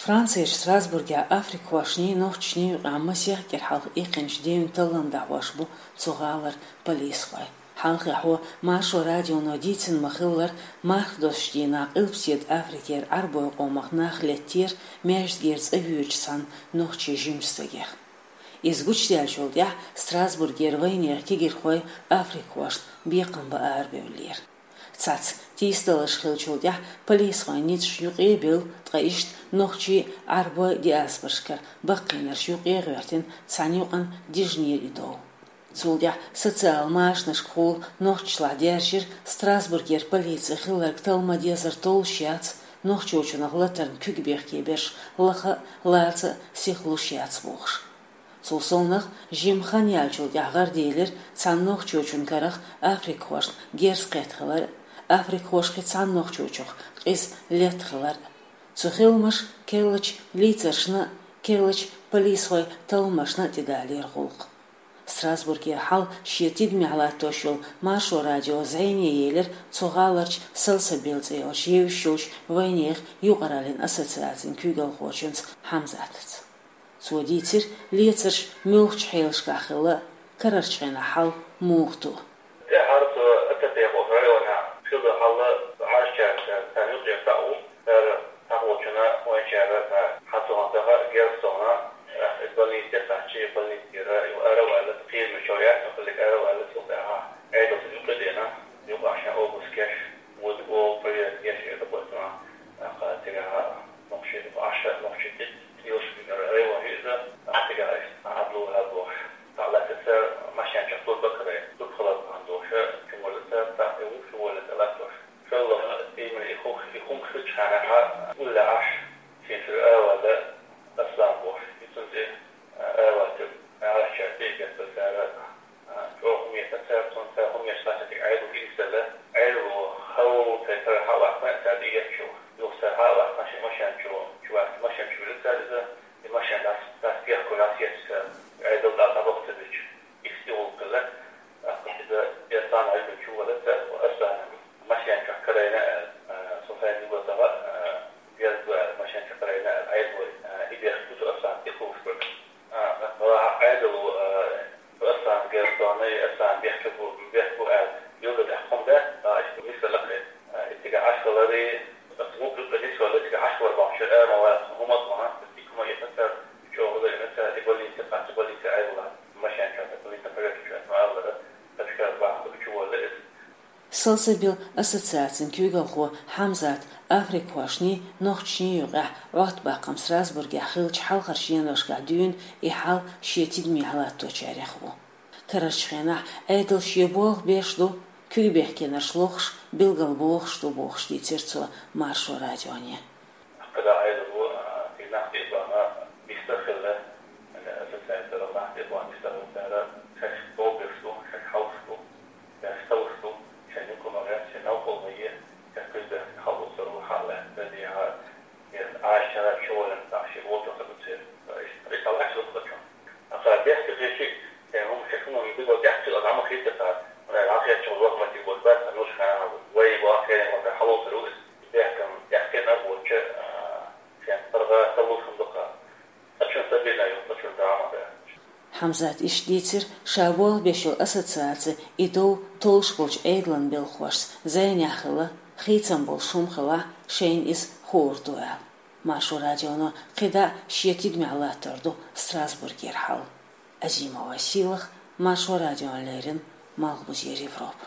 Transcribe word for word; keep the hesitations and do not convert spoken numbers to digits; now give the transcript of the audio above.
Францерчу Страсбургехь африкхошний, нохчашний юкъахь масех кӀира хьалха иккхинчу дийнан таллам дӀахьош бу цу гӀалара полисхой. Хьалхехь Маршо радионо дийцина ма-хиллара, мархдоссучу дийнахь Къилбаседа Африкера Ӏарбойн къомах нах леттера маьждигера цӀа воьдучу цхьана нохчийн жимачу стагех. Иза гучудаьллачул тӀаьхьа Страсбургера вайнехан кегийрхой африкхошна бекхам бан арабевллера. Цхьацца тийсадаларш хиллачул тӀаьхьа полисхойн ницкъаш юкъа а бевлла, ткъа иштта нохчийн, Ӏарбойн диаспорашкара баккхийнарш юкъа а гӀоьртина, цхьана юкъана дижинера и дов. Цул тӀаьхьа социал машанашкахула нохчашлахь даьржира Страсбургера полици хилларг талла ма-деззара толлуш яц, нохчочунах латарна куьг бехке берш лаха а, лаца а сиха луш яц бохуш. Цул совнаха, жима хан яьллачул тӀаьхьа гӀараделира цхьана нохчочун карах африкхошна герз кхетта хилар а, африкхоша кхин цхьана нохчочух къиза летта хилар а. Цу хиламаша керлачу лийцаршна а, керлачу полисхойн талламашна а тӀедалийра гӀуллакх. Страсбургера хьал шен тидамехь латтош йолу Маршо радио зӀене елира цу гӀаларчу Салсабил цӀе йолчу евзаш йолчу вайнехан юкъараллин ассоциацин куьйгалхочуьнца Хьамзатца. Цо дийцира, лецарш муьлхачу хьелашкахь хилла, карарчу хенахь хьал муха ду. ТӀаьхьара цу Ататехуш районехь хилла хьал Ӏаьржачаьрца царна юкъера цхьаъ ву, цара цхьаволчунна вайначара цхьа хьан цунах даха герз совна, иза больнице кхаьччи, больницера ю ара а ваьлла, кхераме чов яц, хиллиг ара а ваьлла, цул тӀаьхьа Ӏедалца юкъа а деана, юкъахь шен обыск еш, вуьту оха проверка еш, эр дакъоьцуна, тӀаккха цигахь нохчий, Ӏаш нохчий тӀе, тӀелуш бигара район хӀиъза, тӀаккха цигахь иштта Ӏадало хьал бохуш. Цхьаъ лаьцна цара машен чохь турба карай, турба хилар бахьана долуш, чу воллу цара, цхьаъ тӀе ву, чу воллу тӀе латтош. ШолгӀа иман и хӀух, и хӀума хилчхьана хьа, улле Ӏаш, шен чуьра а ваьлла, Аслан бохуш, и цунна тӀе, а, а ваьлла, Ӏаьржачаьрца тӀе а геттара цара, а, чӀогӀа хӀума еттина цара, цунна цара хӀума еш лаьцна тӀе Ӏедал хӀинцалла, Ӏедало хьо цхьа тӀера хьа а ваьккхина, цара тӀе етташ ву. Юха цара хьа а ваьккхина, шен машен чу, чу ваьлла, машен чу вилла цара иза, и машен дӀас, дӀасабехко, дӀасаетташ цара, Ӏедал дӀа дӀабахка ца дуьтуш. Иштта и гӀуллакх хилла, тӀаккха иза Аслан Ӏилман чу валла цара, Аслана машен чохь карийна аьлла, а, со хьайна юха даха, а, герз ду аьлла, машен чохь карийна аьлла, Ӏедало, а, и бехк бу цу Аслана тӀе кхуьуш берг. А, тӀаккха Ӏедало, а, цу Аслана герз дона, и Аслан бехке бу, бехк бу аьлла, билггал тӀехь кхунда, а, иштта мисал лакхе, а, и цигахь Ӏаш хилари, аса вукху юкъа нисвелла, цигахь Ӏаш хилар бахьана, шен ара ма вац, хӀума ма, аса дика хӀума еттина цара, чӀогӀа ла еттина цара, и больнице кхаьчча, больнице Ӏедало машен чохь, больнице проверка чохь, ма аллара, ташкара бахьана чу волла иза. Салсабил ассоциацин куьйгалхо Хьамзат африкхошний, нохчашний юкъахь Ӏоттабаккхам Страсбургехь хиллачу хьалхарчу деношкахь дуьйна и хьал шен тидамехь латточарех ву. Карарчу хенахь Ӏедал шен болх беш ду, куьг бехкенарш лохуш, билгалбохуш ду бохуш дийцира цо Маршо радионе. КхидӀа Ӏедало, а, и нах тӀе а бахана, бистар хилла, ассоциацера нах тӀе а бахана, бистар хилла цара, шаьш бовбеш ду, шаьш хьовсуш ду, шаьш талуш ду, шайн юкъа ма гӀерта, шайн новкъа ма е, шаьш куьзбехкан хьалдоцур ву хьалла, дазехьа, я Ӏаьржачара чу воллина, тӀаккха шен волчохь ца гуцера. Иштта, иштта лаьтташ ду кхачо. Аса бехке хетчи, э, хӀума шаьш хӀума дика тӀехь хила, дӀа ма хийца цара. Вай, дӀахецча, лоха ма тига болу бац, сан нуш хана, вай, ваххе, ма хьалоцур ву иза. Бехкам тӀехь хетна а воцча, а, шен паргӀат таллуш хӀума ду-кха. Цкъачунна стабильно ю, цкъачунна драмат дац. Хьамзат иштта дийцира, ша болх беш йолу ассоциаци и дов толлуш болчу Ӏедалан белхахошца зӀенехь хилла, хийцам болуш хӀума хилахь, шайна иза хуур ду аьлла. Маршо радионо кхидӀа шен тидамехь латтор ду Страсбургера хьал. Азимова Сийлаха, Маршо радиона леррина, Малхбузера Европа.